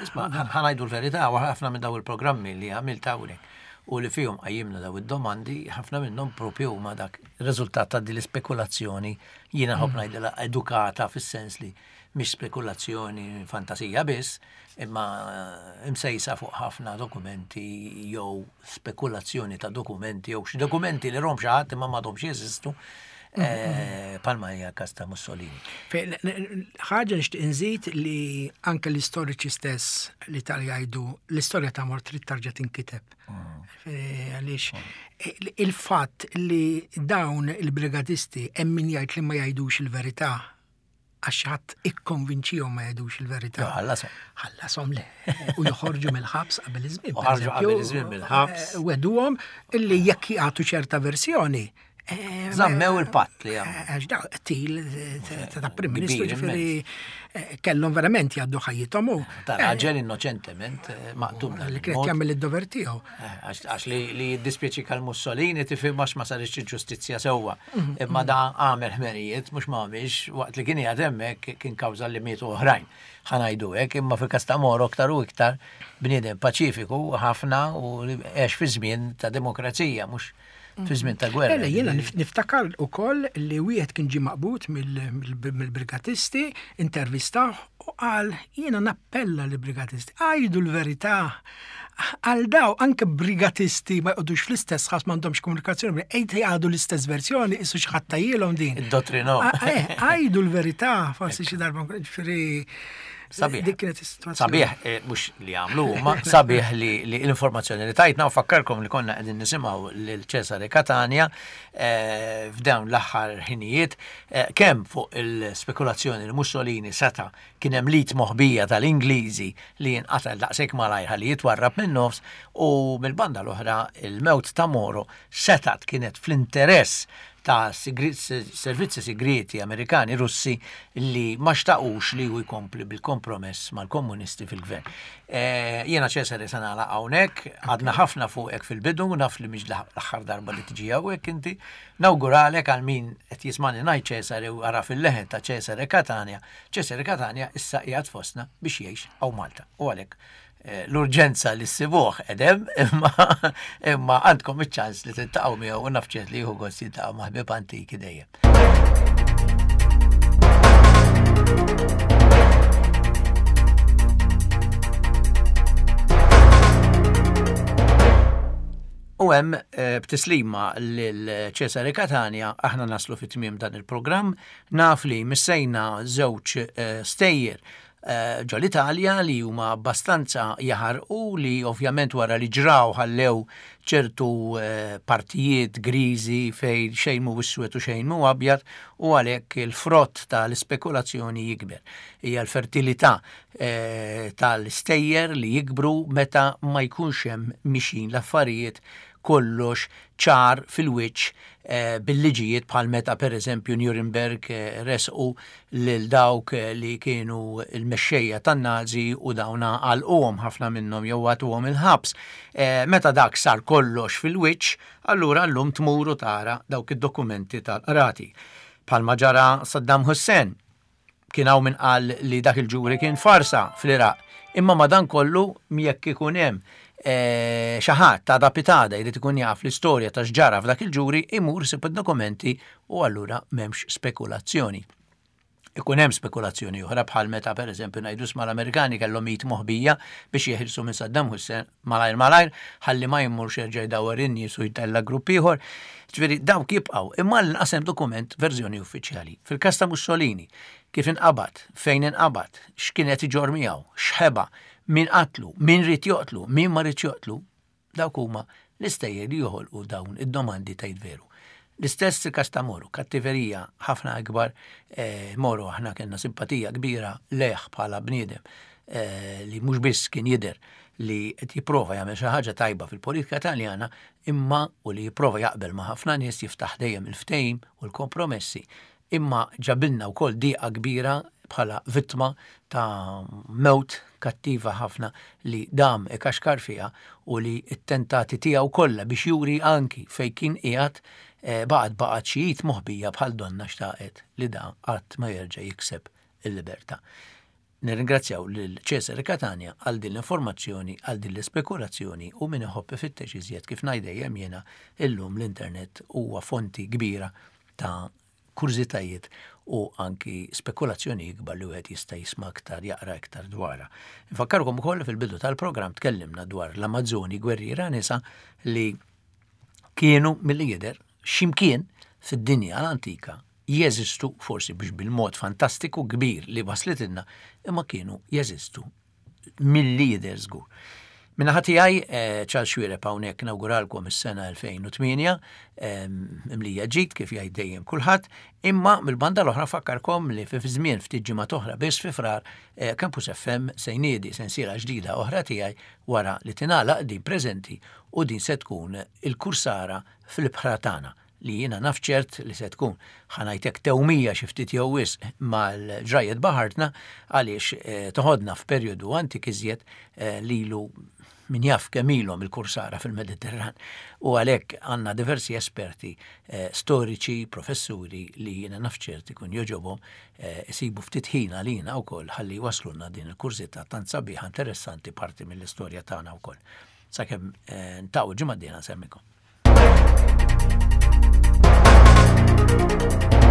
Isma', ħa ngħidu l-verità, ħafna minn daw il-programmi li għamilt hawnhekk u li fihom qajjimna daw id-domandi, ħafna minnhom propju huma dak ir-riżultat ta' din l-ispekulazzjoni jiena nħobb ngħidilha edukata fis-sens li mhix spekulazzjoni fantasija biss, imma imsejsa fuq ħafna dokumenti jew spekulazzjoni ta' dokumenti jew xi dokumenti li rom xi ħadd imma m'għadhomx jeżistu. Palma hija każ ta' Mussolini. Ħaġa nixtieq inżid li anke l-istoriċi stess li tal jgħidu l-istorja ta' Moro trid tarġa' tinkiteb. Għaliex il-fatt li dawn il-brigadisti hemm min jgħid li ma jgħidux il-verità għax ħadd ikkonvinċihom ma jgħidux il-verità. Ħallasom. Ħallasom le. U joħorġu mill-ħabs qabel iż-żmien. Ħarġu qabel iż-żmien mill-ħabs. Weduhom illi jekk jagħtu ċerta versjoni. Żammew il-patt li għamlu. Għax da, til ta' Prim Ministru ġifieri kellhom verament jgħaddu ħajjithom u. Ta' raġel innoċentement maqtul. Li kien jagħmel id-dover tiegħu. Għax li jiddispjaċi għal Mussolini tifhem għax ma saritx il-ġustizzja sewwa. Imma da għamel ħmerijiet mhux ma għamilx waqt li kien qiegħed hemmhekk kien kawża li mietu oħrajn. Ħa ngħidu hekk, imma fil-każ ta' Moro aktar u iktar bniedem paċifiku ħafna u għex fi żmien ta' demokrazija mhux fi żmien ta' gwerra. Ela, jiena niftakar ukoll li wieħed kien ġie maqbud mill-brigatisti, intervistah u qal jiena nappella lill-brigatisti, għajdu l-verità. Għal daw anke brigatisti ma jqogħdux fl-istess ħass m'għandhomx komunikazzjoni, ejt jgħadu l-istess versjoni, issu xi ħadd tajjilhom din. Id-dottrino. Għajdu l-verità, forsi xi darba ġifieri. Sabiħ. Dik kienet is-sitwazzjoni. Sabiħ, mhux li għamlu, ma sabiħ li l-informazzjoni li tajtna u fakkarkom li konna qegħdin nisimgħu lil Cesare Catania f'dawn l-aħħar ħinijiet kemm fuq il-spekulazzjoni li Mussolini seta' kien hemm lit moħbija tal-Ingliżi li jinqatel daqshekk malajr ħalli jitwarrab min-nofs u mill-banda l-oħra il-mewt ta' Moro setat kienet fl-interess ta' servizzi segreti Amerikani Russi li ma xtaqux li hu jkompli bil-kompromess mal-komunisti fil-gvern. Jiena Cesare se nagħlaq hawnhekk, għadna ħafna fuqek fil-bidu, naf li mhix l-aħħar darba li tiġi hawnhekk inti. Nawguralek għal min qed jismani ngħid Cesare u ara fil-leħen ta' Cesare Catania. Cesare Catania issa qiegħed fostna biex jgħix hawn Malta. U għalhekk l-urġenza li ssibuh edem, imma imma għandkom iċ-ċans li tiltaqgħu miegħu u naf ċert li jieħu gost jiltaqgħu ma' ħbieb antiki dejjem. U hemm b'tislima lil Cesare Catania aħna naslu fit-tmiem dan il-programm, naf li missejna żewġ stejjer ġol-Italja li huma abbastanza jaħarqu, li ovvjament wara li ġraw ħallew ċertu partijiet griżi fejn xejn mhu iswed u xejn mhu abjad, u għalhekk il-frott tal-ispekulazzjoni jikber. Hija l-fertilità tal-istejjer li jikbru meta ma jkunx hemm mixin l-affarijiet kollox ċar fil-wiċċ bil-liġijiet, bħal meta per eżempju Nuremberg resqu lil dawk li kienu l-mexxejja tan-Nazi u dawna għalquhom ħafna minnhom jew għatuhom il-ħabs. Meta dak sar kollox fil-wiċċ, allura llum tmur u tara dawk id-dokumenti tal-qrati. Bħalma ġara Saddam Hussein, kien hawn min qal li dak il-ġuri kien farsa fl-Iraq, imma madankollu jekk ikun hemm xi ħadd ta' dapitada jrid ikun jaf l-istorja ta' x'ġara f'dak il-ġuri, imur isib id-dokumenti u allura m'hemmx spekulazzjoni. Ikun hemm spekulazzjoni oħra bħal meta pereżempju ngħidu sma l-Amerikani kellhom mit moħbija biex jeħilsu minn Saddam Hussein malajr malajr ħalli ma jmurx jerġa' jdawwar in-nies u jtella' grupp ieħor. Ġifieri dawk jibqgħu, imma l-inqas hemm dokument verżjoni uffiċjali. Fil-każ ta' Mussolini, kif inqabad, fejn inqabad, x'kien qed iġorr miegħu, x'ħeba, min qatlu, min ried joqtlu, min ma ried joqtlu, dawk huma l-istejjer li joħolqu dawn id-domandi tgħid veru. L-istess il-każ ta' Moro, kattiverija ħafna akbar, Moro aħna kellna simpatija kbira lejh bħala bniedem li mhux biss kien jidher li qed jipprova jagħmel xi ħaġa tajba fil-politika Taljana, imma u li jipprova jaqbel ma' ħafna nies, jiftaħ dejjem il-ftehim u l-kompromessi, imma ġabilna wkoll dieqa kbira bħala vittma ta' mewt kattiva ħafna li dam ikaxkar fiha u li t-tentati tiegħu kollha biex juri anki fejn kien qiegħed baqgħet baqgħet xi id moħbija bħal donna xtaqet li da qatt ma jerġa' jikseb il-libertà. Nirringrazzjaw lil Cesare Catania għal din l-informazzjoni, għal din l-ispekulazzjoni, u min iħobb ifittex iżjed kif ngħid dejjem jiena, illum l-internet huwa fonti kbira ta' kurżitajiet u anki spekulazzjoni ikbar li wieħed jista' jisma' aktar, jaqra iktar dwarha. Nfakkarkom ukoll fil-bidu tal-programm tkellimna dwar l-Amazzoni gwerriera nisa li kienu milli jidher x'imkien fid-dinja l-antika jeżistu, forsi biex bil-mod fantastiku kbir li waslitilna, imma kienu jeżistu milli jidher żgur. Minna tiegħi Charles Xuereb hawnhekk nawguralkom is-sena elfejn u tmienja, imlija ġid kif jgħid dejjem kulħadd, imma mill-banda l-oħra fakkarkom li fi żmien ftit ġimgħat oħra biss fi Frar Campus F M se jniedi sensiela ġdida oħra tiegħi wara li tingħalaq din preżenti, u din se tkun il-kursara fil-ibħra tagħna li jiena naf ċert li se tkun ħanajtek tewmija xi ftit jew wisq mal-ġrajiet baħartna, għaliex toħodna f'perjodu antik iżjed lilu min jaf kemm ilhom il-kursara fil-Mediterran, u għalhekk għandna diversi esperti storiċi, professuri li jiena naf ċert ikun joġobhom isibu ftit ħin għalina wkoll ħalli waslulna din il-kurżità tant sabiħa interessanti parti mill-istorja tagħna wkoll. Sakemm ntaqgħu ġimgħa d-dieħla nsemmikom. Thank you.